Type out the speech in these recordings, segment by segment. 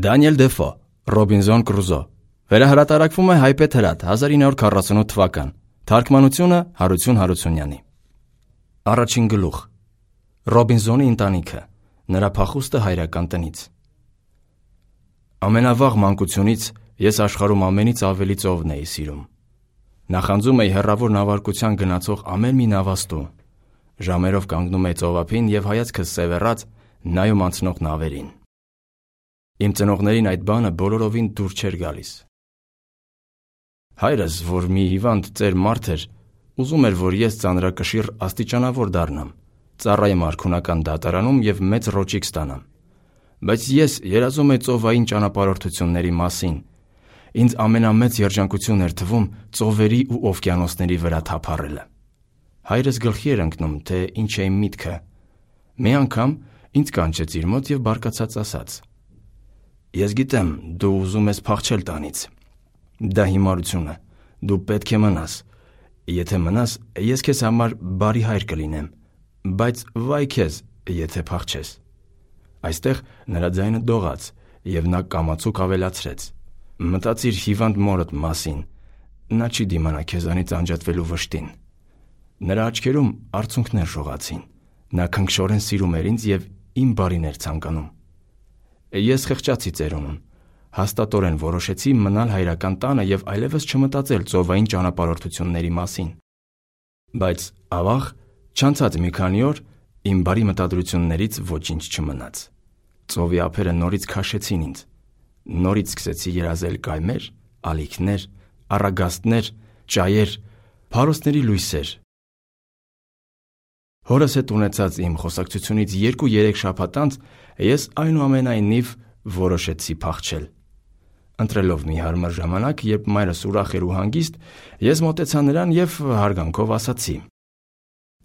Դանիել Դեֆո, Ռոբինզոն Կրուզո, վերահրատարակվում է Հայպետ հրատ 1948 թվական, թարգմանությունը Հարություն Հարությունյանի։ Առաջին գլուխ։ Ռոբինզոնի ընտանիքը, նրա փախուստը հայրական տնից։ Ամենավաղ մանկությունից ես աշխարհում ամենից ավելի ծովն էի սիրում։ Նախանձում էի հեռավոր նավարկության գնացող ամեն մի նավաստու։ Ժամերով կանգնում էի ծովափին եւ հայացքս սևեռած նայում անցնող նավերին։ Իմ ծնողներին այդ բանը բոլորովին դուր չէր գալիս։ Հայրս, որ մի հիվանդ ծեր մարդ էր, ուզում էր, որ ես ծանրակշիռ աստիճանավոր դառնամ, ծառայեմ արքունական դատարանում եւ մեծ ռոճիկ ստանամ։ Բայց ես երազում էի ծովային ճանապարհորդությունների մասին։ Ինձ ամենամեծ երջանկություն էր թվում ծովերի ու օվկիանոսների վրա թափառելը։ Հայրս գլխի էր ընկնում, թե ինչ է իմ միտքը։ Մի անգամ ինձ կանչեց իր մոտ եւ բարկացած ասաց. «Ես գիտեմ, դու ուզում ես փախչել տանից։ Դա հիմարություն է, դու պետք է մնաս։ Եթե մնաս, ես քեզ համար բարի հայր կլինեմ, բայց վայ քեզ, եթե փախչես»։ Այստեղ նրա ձայնը դողաց եւ նա կամացուկ ավելացրեց. «Մտածիր հիվանդ մորդ մասին, նա չի դիմանա քեզանից անջատվելու վշտին»։ Նրա աչքերում արցունքներ շողացին։ Նա քնքշորեն սիրում էր ինձ եւ իմ բարին էր ցանկանում։ Ես խղճացի ծերունուն, հաստատորեն որոշեցի մնալ հայրական տանը եւ այլևս չմտածել ծովային ճանապարհորդությունների մասին։ Բայց ավաղ, չանցած մի քանի օր, իմ բարի մտադրություններից ոչինչ չմնաց։ Ծովի ափերը նորից քաշեցին ինձ։ Նորից սկսեցի երազել կայմեր, ալիքներ, առագաստներ, ճայեր, փարոսների լույսեր։ Հորս հետ ունեցած իմ խոսակցությունից 2-3 շաբաթ անց ես այնուամենայնիվ որոշեցի փախչել։ Ընտրելով մի հարմար ժամանակ, երբ մայրս ուրախ էր ու հանգիստ, ես մոտեցա նրան եւ հարգանքով ասացի.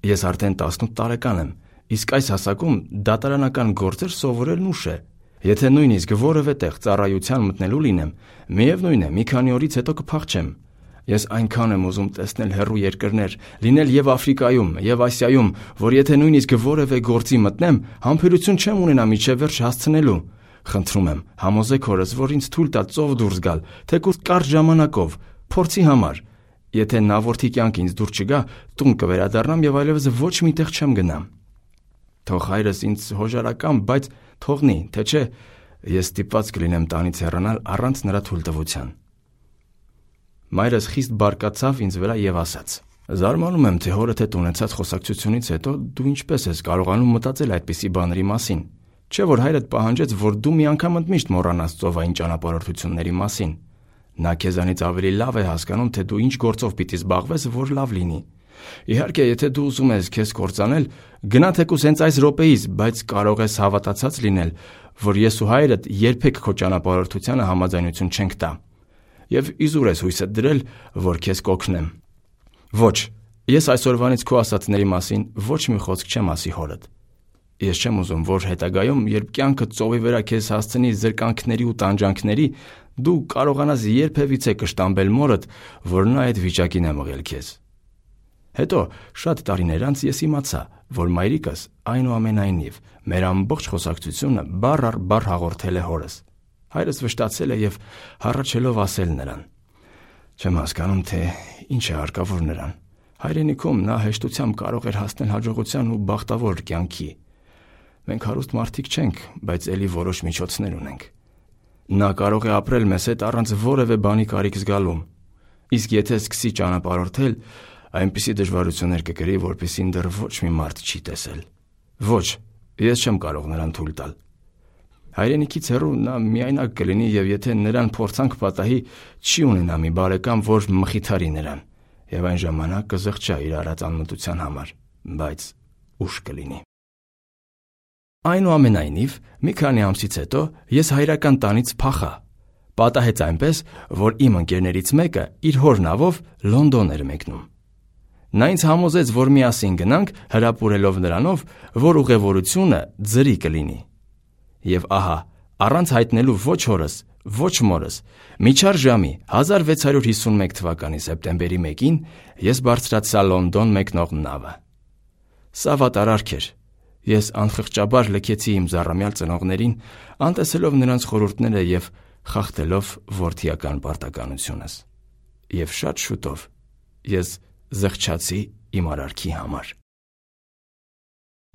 «Ես արդեն 18 տարեկան եմ, իսկ այս հասակում դատարանական գործեր սովորելն ուշ է։ Եթե նույնիսկ որևէ տեղ ծառայության մտնելու լինեմ, միևնույն է, մի քանի օրից հետո կփախչեմ։ Ես այնքան եմ ուզում տեսնել հեռու երկրներ, լինել եւ Աֆրիկայում, եւ Ասիայում, որ եթե նույնիսկ որևէ գործի մտնեմ, համբերություն չեմ ունենա միջև վերջ հասցնելու։ Խնդրում եմ, համոզեք հորս, որ ինձ թույլ տա ծով դուրս գալ, թեկուզ կարճ ժամանակով, փորձի համար։ Եթե նավորդի կյանք ինձ դուր չգա, տուն կվերադառնամ եւ այլևս ոչ մի տեղ չեմ գնա։ Թող հայրս ինձ հոժարական, բայց թողնի, թե չէ, ես ստիպված կլինեմ տանից հեռանալ առանց նրա թույլտվության»։ Մայրս խիստ բարկացավ ինձ վրա եւ ասաց. «Զարմանում եմ, թե հորդ հետ ունեցած խոսակցությունից հետո դու ինչպես ես կարողանում մտածել այդպիսի բաների մասին։ Չէ՞ որ հայրդ պահանջեց, որ դու մի անգամ ընդմիշտ մոռանաս ծովային ճանապարհորդությունների մասին։ Նա քեզանից ավելի լավ է հասկանում, թե դու ինչ գործով պիտի զբաղվես, որ լավ լինի։ Իհարկե, եթե դու ուզում ես քեզ կործանել, գնա թեկուզ հենց այս րոպեից, բայց կարող ես հավատացած լինել, որ ես ու հայրդ երբեք քո ճանապարհորդությանը համաձայնություն չենք տա։ Եվ իզուր ես հույսդ դրել, որ քեզ կօգնեմ։ Ոչ, ես այսօրվանից քո ասածների մասին ոչ մի խոսք չեմ ասի հորդ։ Ես չեմ ուզում, որ հետագայում, երբ կյանքը ծովի վրա քեզ հասցնի զրկանքների ու տանջանքների, դու կարողանաս երբևիցե կշտամբել մորդ, որ նա այդ վիճակին է մղել քեզ։ Հետո շատ տարիներ անց ես իմացա, որ մայրիկս այնուամենայնիվ մեր ամբողջ խոսակցությունը բառ առ բառ հաղորդել է հորս։ Հայրս վշտացել է եւ հառաչելով ասել նրան. «Չեմ հասկանում, թե ինչ է հարկավոր նրան։ Հայրենիքում նա հեշտությամբ կարող էր հասնել հաջողության ու բախտավոր կյանքի։ Մենք հարուստ մարդիկ չենք, բայց էլի որոշ միջոցներ ունենք։ Նա կարող է ապրել մեզ հետ առանց որևէ բանի կարիք զգալու։ Իսկ եթե սկսի ճանապարհորդել, այնպիսի դժվարություններ կկրի, որպեսզի դեռ ոչ մի մարդ չի տեսել։ Ոչ, ես չեմ կարող նրան թույլ տալ։ Հայրենիքից հեռու նա միայնակ կլինի եւ եթե նրան փորձանք պատահի, չի ունենա մի բարեկամ, որ մխիթարի նրան, եւ այն ժամանակ կզղջա իր արած անմտության համար, բայց ուշ կլինի»։ Այնուամենայնիվ, մի քանի ամսից հետո ես հայրական տանից փախա։ Պատահեց այնպես, որ իմ ընկերներից մեկը իր հոր նավով Լոնդոն էր մեկնում։ Նա ինձ համոզեց, որ միասին գնանք, հրապուրելով նրանով, որ ուղևորությունը ձրի կլինի։ Եվ ահա, առանց հայտնելու ոչ հորս, ոչ մորս, միջար ժամի 1651 թվականի սեպտեմբերի 1-ին ես բարձրացա Լոնդոն մեկնող նավը։ Սա վատարարք էր։ Ես անխղճաբար լքեցի իմ զառամյալ ծնողներին, անտեսելով նրանց խորհուրդները և խախտելով որդիական պարտականությունս։ Եվ շատ շուտով ես զղջացի իմ արարքի համար։